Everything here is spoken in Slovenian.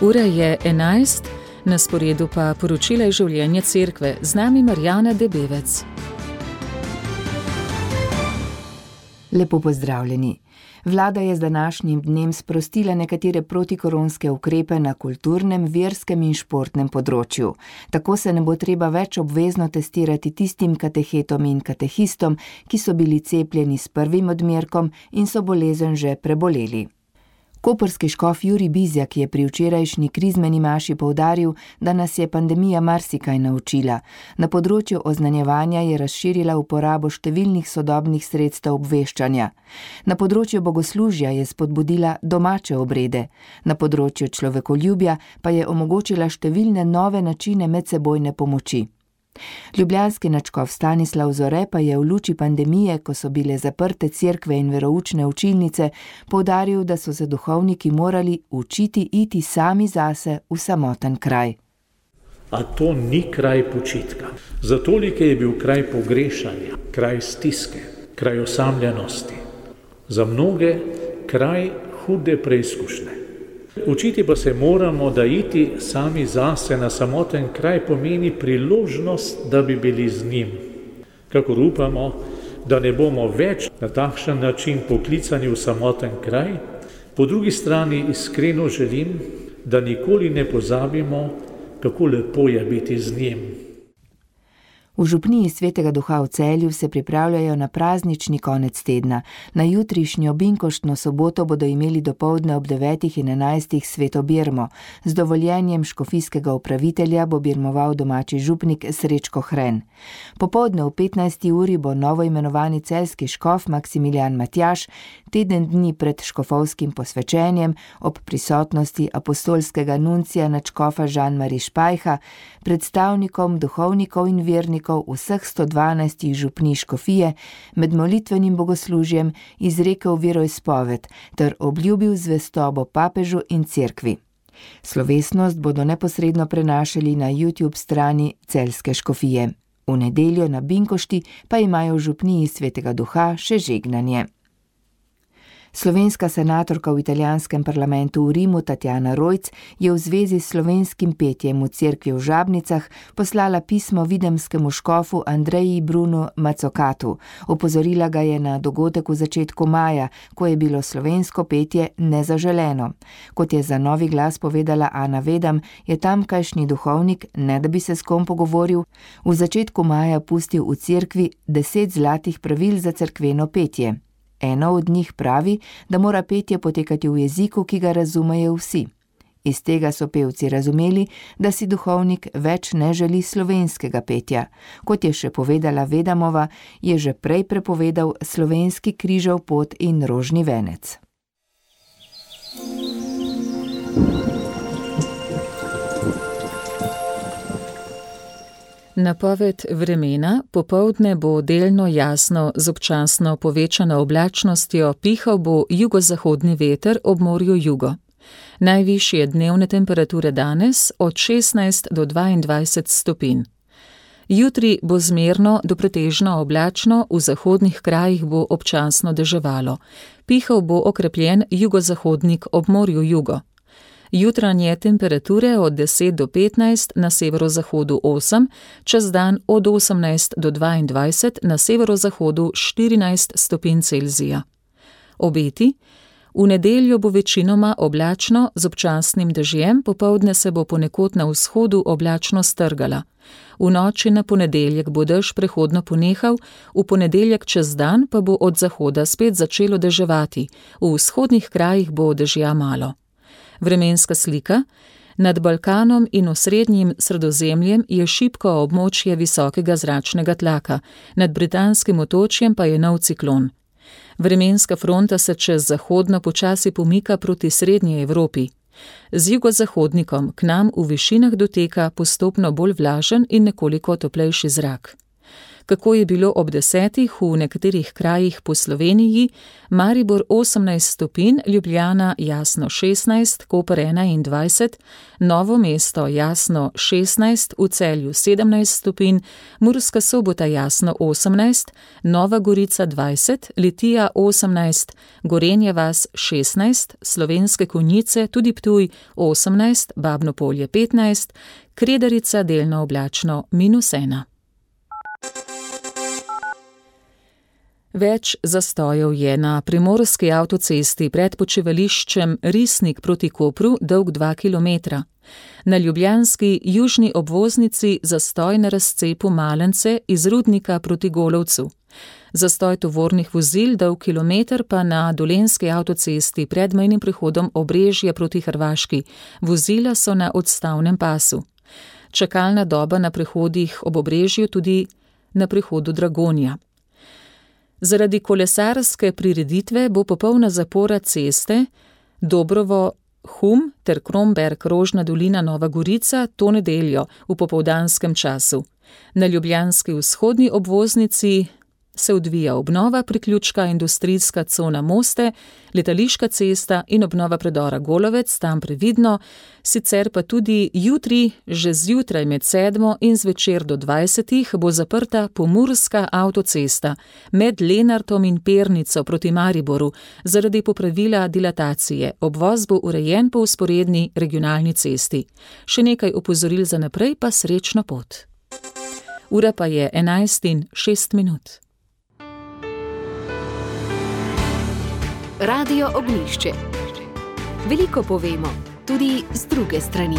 Ura je 11, na sporedu pa poročila iz življenja cerkve. Z nami Marjana Debevec. Lepo pozdravljeni. Vlada je z današnjim dnem sprostila nekatere protikoronske ukrepe na kulturnem, verskem in športnem področju. Tako se ne bo treba več obvezno testirati tistim katehetom in katehistom, ki so bili cepljeni s prvim odmerkom in so bolezen že preboleli. Koprski škof Jurij Bizjak je pri včerajšnji krizmeni maši poudaril, da nas je pandemija marsikaj naučila. Na področju oznanjevanja je razširila uporabo številnih sodobnih sredstev obveščanja. Na področju bogoslužja je spodbudila domače obrede. Na področju človekoljubja pa je omogočila številne nove načine medsebojne pomoči. Ljubljanski nadškof Stanislav Zore pa je v luči pandemije, ko so bile zaprte cerkve in veroučne učilnice, poudaril, da so se duhovniki morali učiti iti sami zase v samoten kraj. A to ni kraj počitka. Za tolike je bil kraj pogrešanja, kraj stiske, kraj osamljenosti. Za mnoge kraj hude preizkušnje. Učiti pa se moramo, da iti sami zase na samoten kraj pomeni priložnost, da bi bili z njim. Kakor upamo, da ne bomo več na takšen način poklicani v samoten kraj, po drugi strani iskreno želim, da nikoli ne pozabimo, kako lepo je biti z njim. V župniji Svetega Duha v Celju se pripravljajo na praznični konec tedna. Na jutrišnjo binkoštno soboto bodo imeli dopoldne ob 9 in 11 sveto birmo. Z dovoljenjem škofijskega upravitelja bo birmoval domači župnik Srečko Hren. Popoldne v 15. uri bo novo imenovani celjski škof Maksimilijan Matjaž teden dni pred škofovskim posvečenjem ob prisotnosti apostolskega nuncija nadškofa Jean-Marie Špajha, predstavnikom duhovnikov in vernikov vseh 112 župnij škofije med molitvenim bogoslužjem izrekel veroizpoved ter obljubil zvestobo papežu in cerkvi. Slovesnost bodo neposredno prenašali na YouTube strani celjske škofije. V nedeljo na binkošti pa imajo v župniji Svetega Duha še žegnanje. Slovenska senatorka v italijanskem parlamentu v Rimu Tatjana Rojc je v zvezi s slovenskim petjem v cerkvi v Žabnicah poslala pismo videmskemu škofu Andreji Brunu Macokatu. Opozorila ga je na dogodek v začetku maja, ko je bilo slovensko petje nezaželeno. Kot je za Novi glas povedala Ana Vedam, je tamkajšnji duhovnik, ne da bi se s kom pogovoril, v začetku maja pustil v cerkvi 10 zlatih pravil za cerkveno petje. Eno od njih pravi, da mora petje potekati v jeziku, ki ga razumejo vsi. Iz tega so pevci razumeli, da si duhovnik več ne želi slovenskega petja. Kot je še povedala Vedamova, je že prej prepovedal slovenski križev pot in rožni venec. Napoved vremena: popoldne bo delno jasno z občasno povečano oblačnostjo, pihal bo jugozahodni veter ob morju jugo. Najvišje dnevne temperature danes od 16 do 22 stopinj. Jutri bo zmerno do pretežno oblačno, v zahodnih krajih bo občasno deževalo. Pihal bo okrepljen jugozahodnik ob morju jugo. Jutranje temperature od 10 do 15, na severozahodu 8, čez dan od 18 do 22, na severozahodu 14 stopinj Celzija. Obeti: v nedeljo bo večinoma oblačno z občasnim dežjem, popoldne se bo ponekod na vzhodu oblačno strgala. V noči na ponedeljek bo dež prehodno ponehal, v ponedeljek čez dan pa bo od zahoda spet začelo deževati, v vzhodnih krajih bo dežja malo. Vremenska slika: nad Balkanom in osrednjim Sredozemljem je šibko območje visokega zračnega tlaka, nad Britanskim otočjem pa je nov ciklon. Vremenska fronta se čez zahodno počasi pomika proti srednji Evropi. Z jugozahodnikom k nam v višinah doteka postopno bolj vlažen in nekoliko toplejši zrak. Kako je bilo ob 10 v nekaterih krajih po Sloveniji: Maribor 18 stopinj, Ljubljana jasno 16, Koper 21, Novo mesto jasno 16, v Celju 17 stopinj, Murska Sobota jasno 18, Nova Gorica 20, Litija 18, Gorenja vas 16, Slovenske Konjice, tudi Ptuj 18, Babno Polje 15, Kredarica delno oblačno -1. Več zastojev je na primorski avtocesti pred počivališčem Risnik proti Kopru, dolg 2 km. Na ljubljanski južni obvoznici zastoj na razcepu Malence iz Rudnika proti Golovcu. Zastoj tovornih vozil dolg kilometer pa na dolenjski avtocesti pred mejnim prehodom Obrežje proti Hrvaški. Vozila so na odstavnem pasu. Čakalna doba na prehodih ob Obrežju, tudi na prehodu Dragonja. Zaradi kolesarske prireditve bo popolna zapora ceste Dobrovo-Hum ter Kromberk-Rožna dolina Nova Gorica to nedeljo v popoldanskem času. Na ljubljanski vzhodni obvoznici se odvija obnova priključka industrijska cona Moste, letališka cesta in obnova predora Golovec, tam previdno, sicer pa tudi jutri, že zjutraj med 7 in zvečer do 20 bo zaprta pomurska avtocesta med Lenartom in Pernico proti Mariboru zaradi popravila dilatacije. Obvoz bo urejen po vzporedni regionalni cesti. Še nekaj opozoril za naprej, pa srečno pot. Ura pa je 11:06. Radio Ognjišče. Veliko povemo, tudi z druge strani.